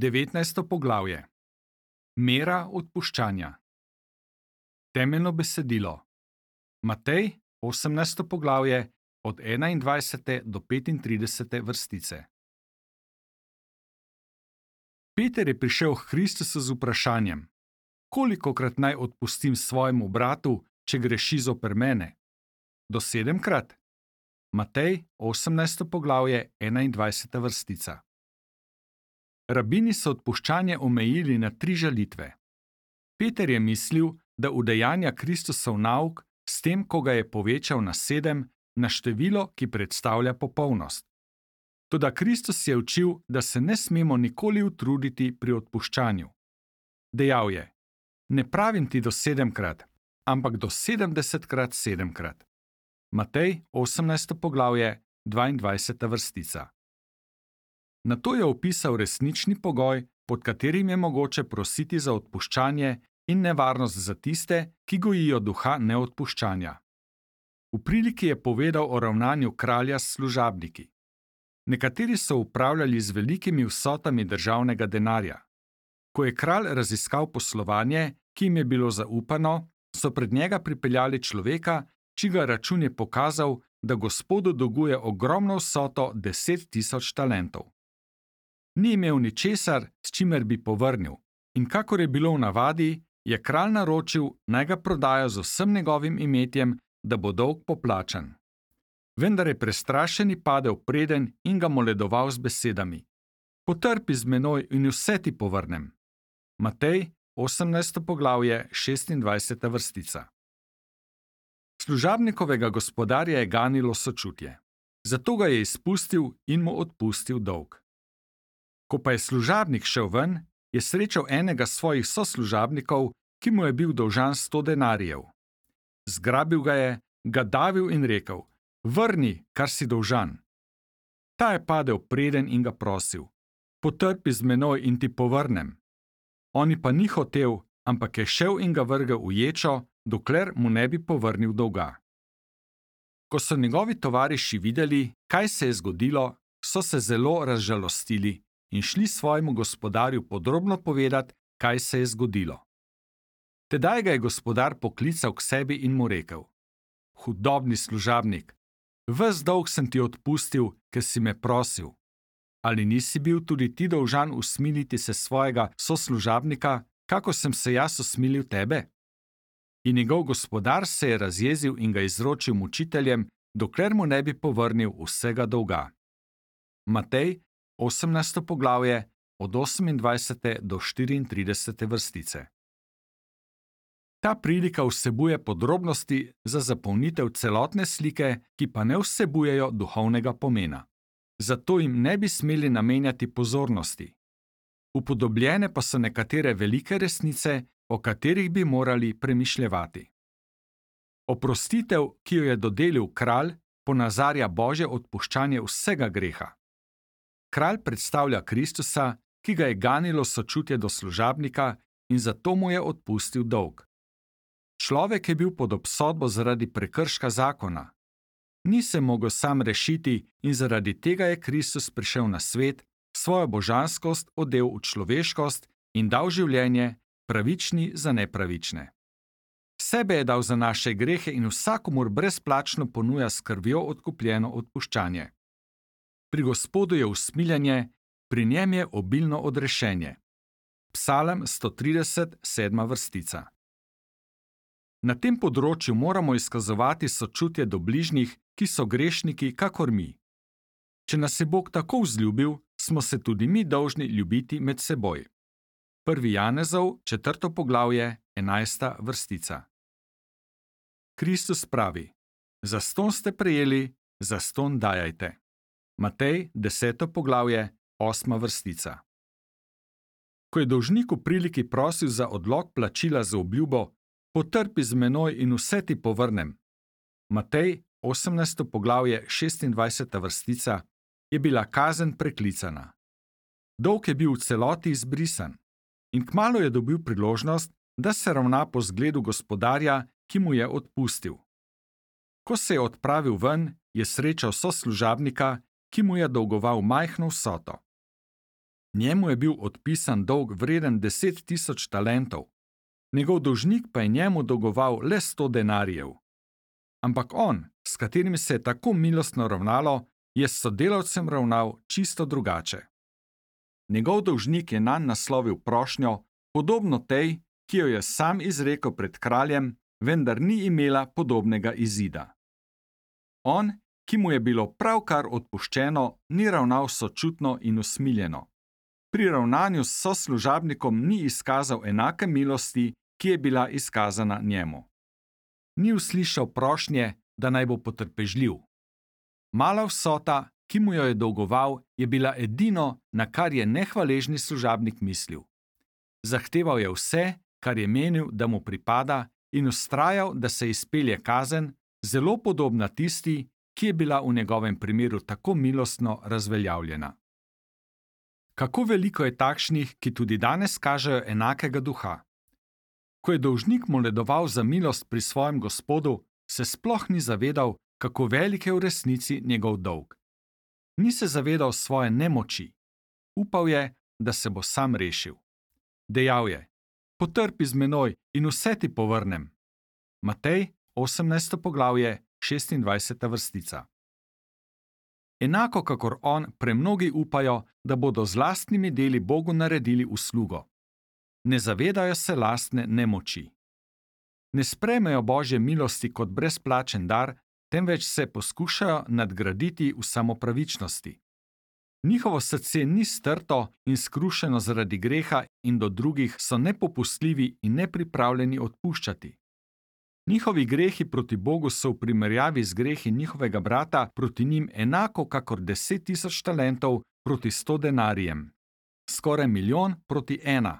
19. poglavje. Mera odpuščanja. Temeljno besedilo. Matej, 18. poglavje, od 21. do 35. vrstice. Peter je prišel k Kristusu z vprašanjem: kolikokrat naj odpustim svojemu bratu, če greši zoper mene? Do 7-krat? Matej, 18. poglavje, 21. vrstica. Rabini so odpuščanje omejili na 3 žalitve. Peter je mislil, da udejanja Kristusov nauk s tem, ko ga je povečal na 7, na število, ki predstavlja popolnost. Toda Kristus je učil, da se ne smemo nikoli utruditi pri odpuščanju. Dejal je: ne pravim ti do 7-krat, ampak do 70-krat 7-krat. Matej, 18. poglavje, 22. vrstica. Nato je opisal resnični pogoj, pod katerim je mogoče prositi za odpuščanje, in nevarnost za tiste, ki gojijo duha neodpuščanja. V priliki je povedal o ravnanju kralja s služabniki. Nekateri so upravljali z velikimi vsotami državnega denarja. Ko je kralj raziskal poslovanje, ki jim je bilo zaupano, so pred njega pripeljali človeka, čigar račun je pokazal, da gospodu dolguje ogromno vsoto 10.000 talentov. Ni imel ničesar, s čimer bi povrnil, in kakor je bilo v navadi, je kralj naročil, naj ga prodajo z vsem njegovim imetjem, da bo dolg poplačan. Vendar je prestrašeni padel preden in ga moledoval z besedami: potrpi z menoj in vse ti povrnem. Matej, 18. poglavje, 26. vrstica. Služabnikovega gospodarja je ganilo sočutje. Zato ga je izpustil in mu odpustil dolg. Ko pa je služabnik šel ven, je srečal enega svojih soslužabnikov, ki mu je bil dolžan 100 denarjev. Zgrabil ga je, ga davil in rekel: vrni, kar si dolžan. Ta je padel preden in ga prosil: potrpi z menoj in ti povrnem. On pa ni hotel, ampak je šel in ga vrgel v ječo, dokler mu ne bi povrnil dolga. Ko so njegovi tovariši videli, kaj se je zgodilo, so se zelo razžalostili in šli svojemu gospodarju podrobno povedati, kaj se je zgodilo. Tedaj ga je gospodar poklical k sebi in mu rekel: hudobni služabnik, ves dolg sem ti odpustil, ker si me prosil. Ali nisi bil tudi ti dolžan usmiliti se svojega soslužabnika, kako sem se jaz usmilil tebe? In njegov gospodar se je razjezil in ga izročil mučiteljem, dokler mu ne bi povrnil vsega dolga. Matej, 18. poglavje, od 28. do 34. vrstice. Ta prilika vsebuje podrobnosti za zapolnitev celotne slike, ki pa ne vsebujejo duhovnega pomena. Zato jim ne bi smeli namenjati pozornosti. Upodobljene pa so nekatere velike resnice, o katerih bi morali premišljevati. Oprostitev, ki jo je dodelil kralj, ponazarja Božje odpuščanje vsega greha. Kralj predstavlja Kristusa, ki ga je ganilo sočutje do služabnika in zato mu je odpustil dolg. Človek je bil pod obsodbo zaradi prekrška zakona. Ni se mogel sam rešiti in zaradi tega je Kristus prišel na svet, svojo božanskost odel v človeškost in dal življenje, pravični za nepravične. Sebe je dal za naše grehe in vsakomur brezplačno ponuja s krvjo odkupljeno odpuščanje. Pri Gospodu je usmiljenje, pri njem je obilno odrešenje. Psalm 130, 7. vrstica. Na tem področju moramo izkazovati sočutje do bližnjih, ki so grešniki, kakor mi. Če nas je Bog tako vzljubil, smo se tudi mi dolžni ljubiti med seboj. 1. Janezov, 4. poglavje, 11. vrstica. Kristus pravi: zastonj ste prejeli, zastonj dajajte. Matej, 10. poglavje, 8. vrstica. Ko je dolžnik v priliki prosil za odlog plačila z obljubo: potrpi z menoj in vse ti povrnem. Matej, 18. poglavje, 26. vrstica, je bila kazen preklicana. Dolg je bil v celoti izbrisan in kmalu je dobil priložnost, da se ravna po zgledu gospodarja, ki mu je odpustil. Ko se je odpravil ven, je srečal soslužabnika, ki mu je dolgoval majhno vsoto. Njemu je bil odpisan dolg vreden 10.000 talentov. Njegov dolžnik pa je njemu dolgoval le 100 denarjev. Ampak on, s katerim se je tako milostno ravnalo, je s sodelavcem ravnal čisto drugače. Njegov dolžnik je nanj naslovil prošnjo, podobno tej, ki jo je sam izrekel pred kraljem, vendar ni imela podobnega izida. On, ki mu je bilo pravkar odpuščeno, ni ravnal sočutno in usmiljeno. Pri ravnanju s soslužabnikom ni izkazal enake milosti, ki je bila izkazana njemu. Ni uslišal prošnje, da naj bo potrpežljiv. Mala vsota, ki mu jo je dolgoval, je bila edino, na kar je nehvaležni služabnik mislil. Zahteval je vse, kar je menil, da mu pripada, in vztrajal, da se izpelje kazen, zelo podobna tisti, ki je bila v njegovem primeru tako milostno razveljavljena. Kako veliko je takšnih, ki tudi danes kažejo enakega duha. Ko je dolžnik moledoval za milost pri svojem gospodu, se sploh ni zavedal, kako velik je v resnici njegov dolg. Ni se zavedal svoje nemoči. Upal je, da se bo sam rešil. Dejal je: potrpi z menoj in vse ti povrnem. Matej, 18. poglavje, 26. vrstica. Enako kakor on, premnogi upajo, da bodo z lastnimi deli Bogu naredili uslugo. Ne zavedajo se lastne nemoči. Ne sprejmejo Božje milosti kot brezplačen dar, temveč se poskušajo nadgraditi v samopravičnosti. Njihovo srce ni strto in skrušeno zaradi greha in do drugih so nepopustljivi in nepripravljeni odpuščati. Njihovi grehi proti Bogu so v primerjavi z grehi njihovega brata proti njim enako kakor 10.000 talentov proti 100 denarjem. Skoraj 1.000.000 proti 1,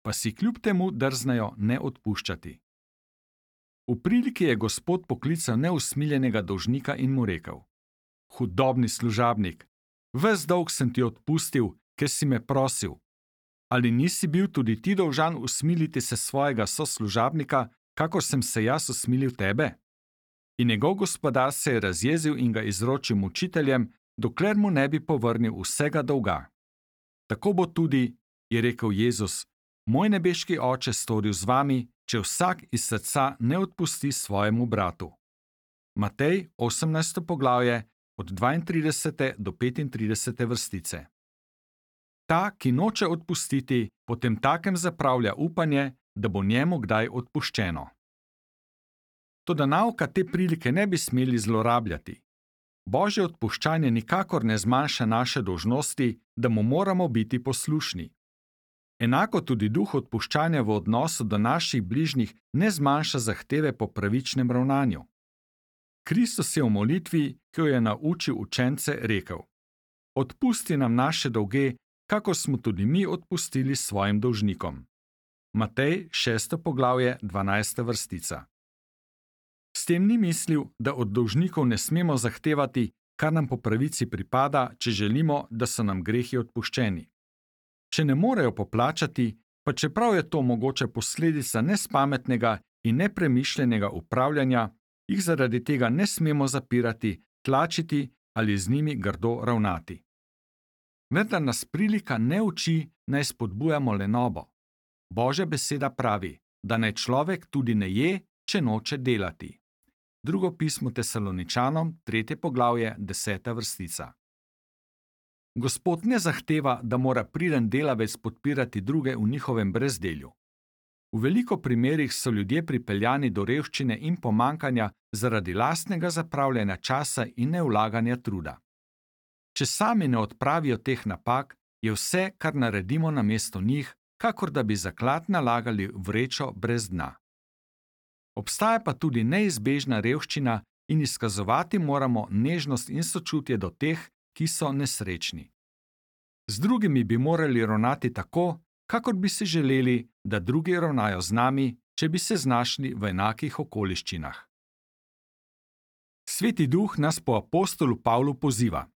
pa si kljub temu drznejo ne odpuščati. V priliki je Gospod poklical neusmiljenega dolžnika in mu rekel: hudobni služabnik, ves dolg sem ti odpustil, ker si me prosil. Ali nisi bil tudi ti dolžan usmiliti se svojega soslužabnika, kakor sem se jaz usmilil tebe? In njegov gospodar se je razjezil in ga izročil mučiteljem, dokler mu ne bi povrnil vsega dolga. Tako bo tudi, je rekel Jezus, moj nebeški Oče storil z vami, če vsak iz srca ne odpusti svojemu bratu. Matej, 18. poglavje, od 32. do 35. vrstice. Ta, ki noče odpustiti, potem takem zapravlja upanje, da bo njemu kdaj odpuščeno. Toda nauka te prilike ne bi smeli zlorabljati. Božje odpuščanje nikakor ne zmanjša naše dolžnosti, da mu moramo biti poslušni. Enako tudi duh odpuščanja v odnosu do naših bližnjih ne zmanjša zahteve po pravičnem ravnanju. Kristus je v molitvi, ki jo je naučil učence, rekel: odpusti nam naše dolge, kakor smo tudi mi odpustili svojim dolžnikom. Matej, 6. poglavje, 12. vrstica. S tem ni mislil, da od dolžnikov ne smemo zahtevati, kar nam po pravici pripada, če želimo, da so nam grehi odpuščeni. Če ne morejo poplačati, pa čeprav je to mogoče posledica nespametnega in nepremišljenega upravljanja, jih zaradi tega ne smemo zapirati, tlačiti ali z njimi grdo ravnati. Vendar nas prilika ne uči, naj spodbujamo lenobo. Božja beseda pravi, da naj človek tudi ne je, če noče delati. Drugo pismo Tesaloničanom, 3. poglavje, 10. vrstica. Gospod ne zahteva, da mora priden delavec podpirati druge v njihovem brezdelju. V veliko primerih so ljudje pripeljani do revščine in pomankanja zaradi lastnega zapravljanja časa in nevlaganja truda. Če sami ne odpravijo teh napak, je vse, kar naredimo namesto njih, kakor da bi zaklad nalagali v vrečo brez dna. Obstaja pa tudi neizbežna revščina in izkazovati moramo nežnost in sočutje do teh, ki so nesrečni. Z drugimi bi morali ravnati tako, kakor bi si želeli, da drugi ravnajo z nami, če bi se znašli v enakih okoliščinah. Sveti Duh nas po apostolu Pavlu poziva: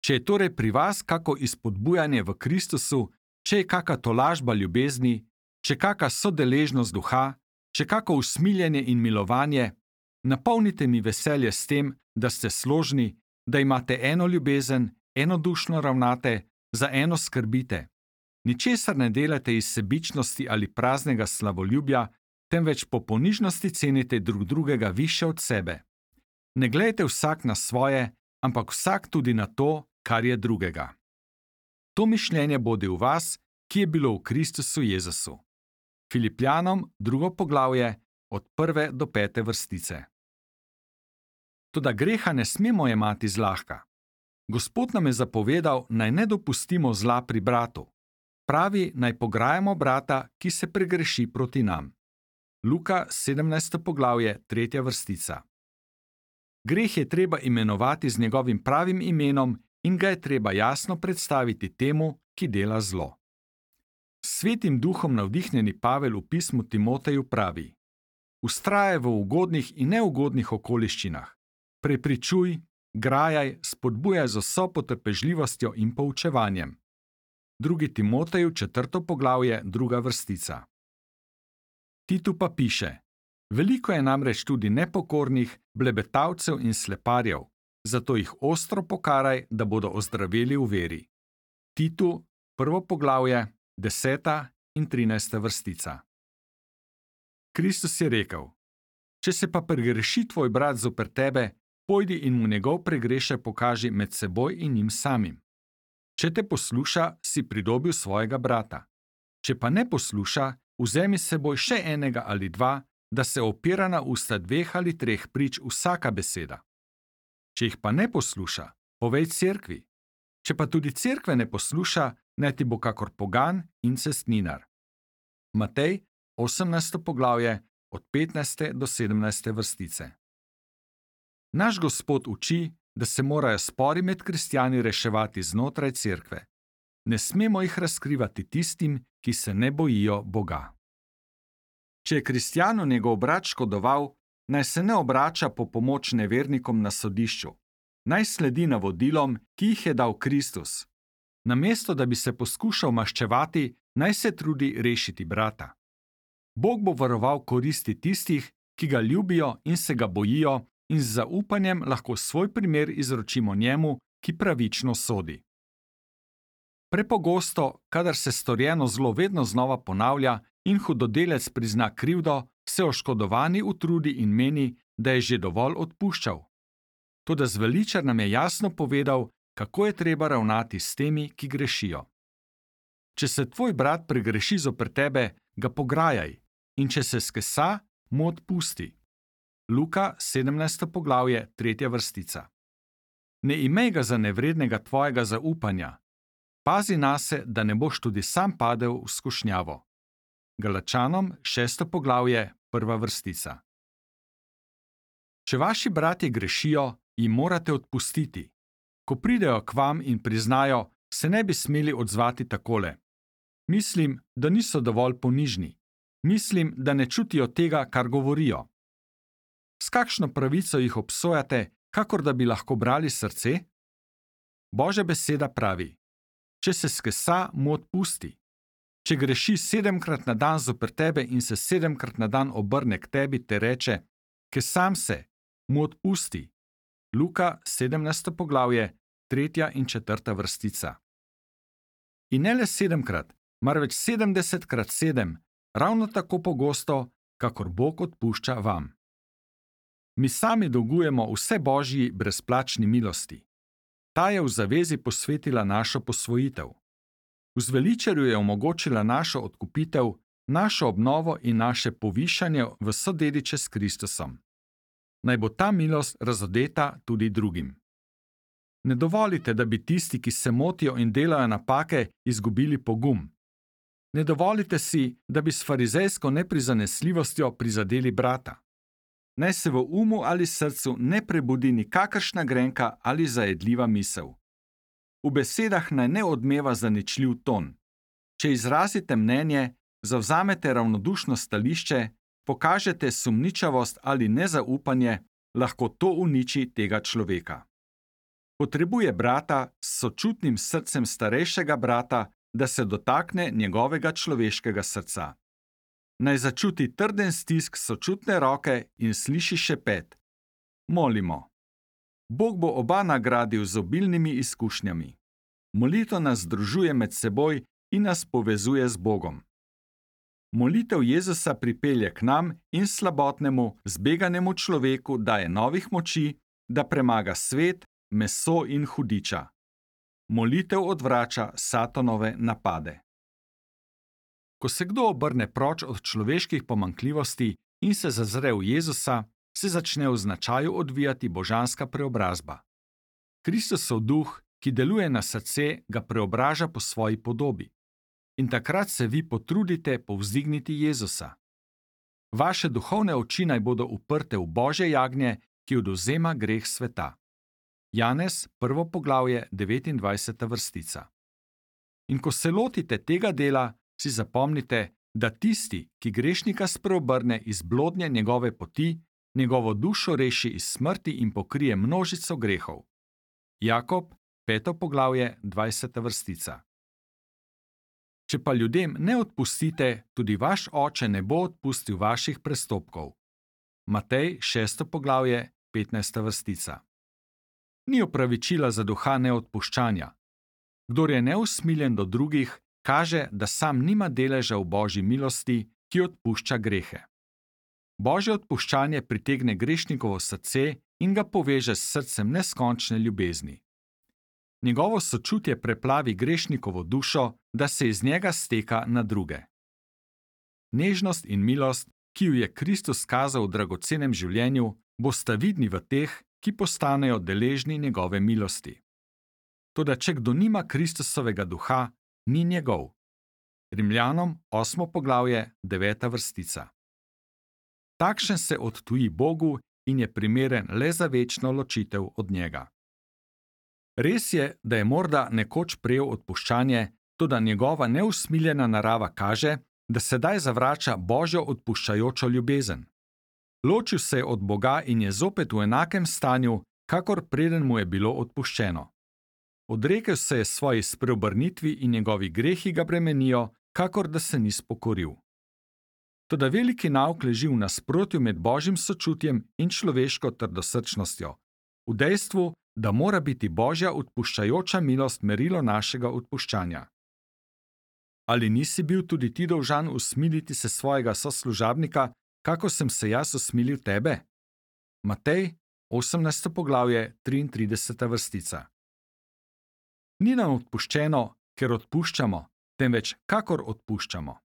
če je torej pri vas kako izpodbujanje v Kristusu, če je kaka tolažba ljubezni, če kaka sodeležnost duha, če kako usmiljenje in milovanje, napolnite mi veselje s tem, da ste složni, da imate eno ljubezen, enodušno ravnate, za eno skrbite, Ničesar ne delajte iz sebičnosti ali praznega slavoljubja, temveč po ponižnosti cenite drug drugega više od sebe. Ne glejte vsak na svoje, ampak vsak tudi na to, kar je drugega. To mišljenje bodi v vas, ki je bilo v Kristusu Jezusu. Filipljanom 2. poglavje od 1. do 5. vrstice. Toda greha ne smemo jemati zlahka. Gospod nam je zapovedal, naj ne dopustimo zla pri bratu. Pravi, naj pograjamo brata, ki se pregreši proti nam. Luka 17. poglavje 3. vrstica. Greh je treba imenovati z njegovim pravim imenom in ga je treba jasno predstaviti temu, ki dela zlo. S Svetim duhom navdihnjeni Pavel v pismu Timoteju pravi: Vztrajaj v ugodnih in neugodnih okoliščinah, prepričuj, grajaj, spodbujaj z vso potrpežljivostjo in poučevanjem. 2. Timoteju 4. poglavje 2. vrstica. Titu pa piše: Veliko je namreč tudi nepokornih, blebetavcev in sleparjev, zato jih ostro pokaraj, da bodo ozdraveli v veri. Titu 1. poglavje 10. in 13. vrstica. Kristus je rekel: Če se pa pregreši tvoj brat zoper tebe, pojdi in mu njegov pregrešek pokaži med seboj in njim samim. Če te posluša, si pridobil svojega brata. Če pa ne posluša, vzemi s seboj še enega ali dva, da se opira na usta 2 ali 3 prič vsaka beseda. Če jih pa ne posluša, povej cerkvi. Če pa tudi cerkve ne posluša, naj ti bo kakor pogan in cestninar. Matej 18. poglavje od 15. do 17. vrstice. Naš Gospod uči, da se morajo spori med kristjani reševati znotraj cerkve. Ne smemo jih razkrivati tistim, ki se ne bojijo Boga. Če je kristjanu njegov brat škodoval, naj se ne obrača po pomoč nevernikom na sodišču. Naj sledi navodilom, ki jih je dal Kristus. Namesto da bi se poskušal maščevati, naj se trudi rešiti brata. Bog bo varoval koristi tistih, ki ga ljubijo in se ga bojijo, in z zaupanjem lahko svoj primer izročimo njemu, ki pravično sodi. Prepogosto, kadar se storjeno zlo vedno znova ponavlja in hudodelec prizna krivdo, se oškodovani utrudi in meni, da je že dovolj odpuščal. Toda zveličar nam je jasno povedal, kako je treba ravnati s temi, ki grešijo. Če se tvoj brat pregreši zoper tebe, ga pograjaj, in če se skesa, mu odpusti. Luka 17. poglavje 3. vrstica. Ne imej ga za nevrednega tvojega zaupanja. Pazi nase, da ne boš tudi sam padel v skušnjavo. Galačanom 6. poglavje 1. vrstica. Če vaši bratje grešijo, jim morate odpustiti. Ko pridejo k vam in priznajo, se ne bi smeli odzvati takole: Mislim, da niso dovolj ponižni. Mislim, da ne čutijo tega, kar govorijo. S kakšno pravico jih obsojate, kakor da bi lahko brali srce? Božja beseda pravi: Če se skesa, mu odpusti. Če greši 7-krat na dan zoper tebe in se 7-krat na dan obrne k tebi, te reče: Kesam se, mu odpusti. Luka 17. poglavje 3. in 4. vrstica. In ne le 7-krat, marveč 70-krat 7, ravno tako pogosto, kakor Bog odpušča vam. Mi sami dolgujemo vse Božji brezplačni milosti. Ta je v zavezi posvetila našo posvojitev. V zveličarju je omogočila našo odkupitev, našo obnovo in naše povišanje v sodediče s Kristusom. Naj bo ta milost razodeta tudi drugim. Ne dovolite, da bi tisti, ki se motijo in delajo napake, izgubili pogum. Ne dovolite si, da bi s farizejsko neprizanesljivostjo prizadeli brata. Naj se v umu ali srcu ne prebudi nikakršna grenka ali zajedljiva misel. V besedah naj ne odmeva zaničljiv ton. Če izrazite mnenje, zavzamete ravnodušno stališče, pokažete sumničavost ali nezaupanje, lahko to uniči tega človeka. Potrebuje brata s sočutnim srcem starejšega brata, da se dotakne njegovega človeškega srca. Naj začuti trden stisk sočutne roke in sliši šepet. Molimo. Bog bo oba nagradil z obilnimi izkušnjami. Molitev nas združuje med seboj in nas povezuje z Bogom. Molitev Jezusa pripelje k nam in slabotnemu, zbeganemu človeku daje novih moči, da premaga svet, meso in hudiča. Molitev odvrača Satanove napade. Ko se kdo obrne proč od človeških pomanjkljivosti in se zazre v Jezusa, se začne v značaju odvijati božanska preobrazba. Kristusov duh, ki deluje na srce, ga preobraža po svoji podobi. In takrat se vi potrudite povzdigniti Jezusa. Vaše duhovne oči naj bodo uprte v Božje jagnje, ki odvzema greh sveta. Janez, 1. poglavje, 29. vrstica. In ko se lotite tega dela, si zapomnite, da tisti, ki grešnika spreobrne iz blodnje njegove poti, njegovo dušo reši iz smrti in pokrije množico grehov. Jakob, 5. poglavje, 20. vrstica. Če pa ljudem ne odpustite, tudi vaš oče ne bo odpustil vaših prestopkov. Matej, 6. poglavje, 15. vrstica. Ni opravičila za duha neodpuščanja. Kdor je neusmiljen do drugih, kaže, da sam nima deleža v Božji milosti, ki odpušča grehe. Božje odpuščanje pritegne grešnikovo srce in ga poveže s srcem neskončne ljubezni. Njegovo sočutje preplavi grešnikovo dušo, da se iz njega steka na druge. Nežnost in milost, ki ju je Kristus kazal v dragocenem življenju, bosta vidni v teh, ki postanejo deležni njegove milosti. Toda če kdo nima Kristusovega duha, ni njegov. Rimljanom, 8. poglavje, 9. vrstica. Takšen se odtuji Bogu in je primeren le za večno ločitev od njega. Res je, da je morda nekoč prejel odpuščanje, toda njegova neusmiljena narava kaže, da sedaj zavrača Božjo odpuščajočo ljubezen. Ločil se je od Boga in je zopet v enakem stanju, kakor preden mu je bilo odpuščeno. Odrekel se je svoji spreobrnitvi in njegovi grehi ga bremenijo, kakor da se ni spokoril. Toda veliki nauk leži v nasprotju med Božjim sočutjem in človeško trdosrčnostjo, v dejstvu, da mora biti Božja odpuščajoča milost merilo našega odpuščanja. Ali nisi bil tudi ti dolžan usmiliti se svojega soslužabnika, kako sem se jaz usmilil tebe? Matej, 18. poglavje, 33. vrstica. Ni nam odpuščeno, ker odpuščamo, temveč kakor odpuščamo.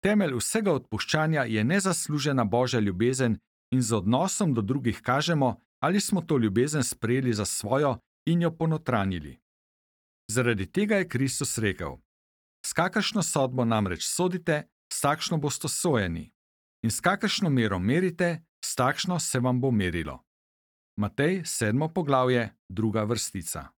Temelj vsega odpuščanja je nezaslužena Božja ljubezen in z odnosom do drugih kažemo, ali smo to ljubezen sprejeli za svojo in jo ponotranjili. Zaradi tega je Kristus rekel: S kakršno sodbo namreč sodite, s takšno boste sojeni, in s kakršno mero merite, s takšno se vam bo merilo. Matej, 7. poglavje, 2. vrstica.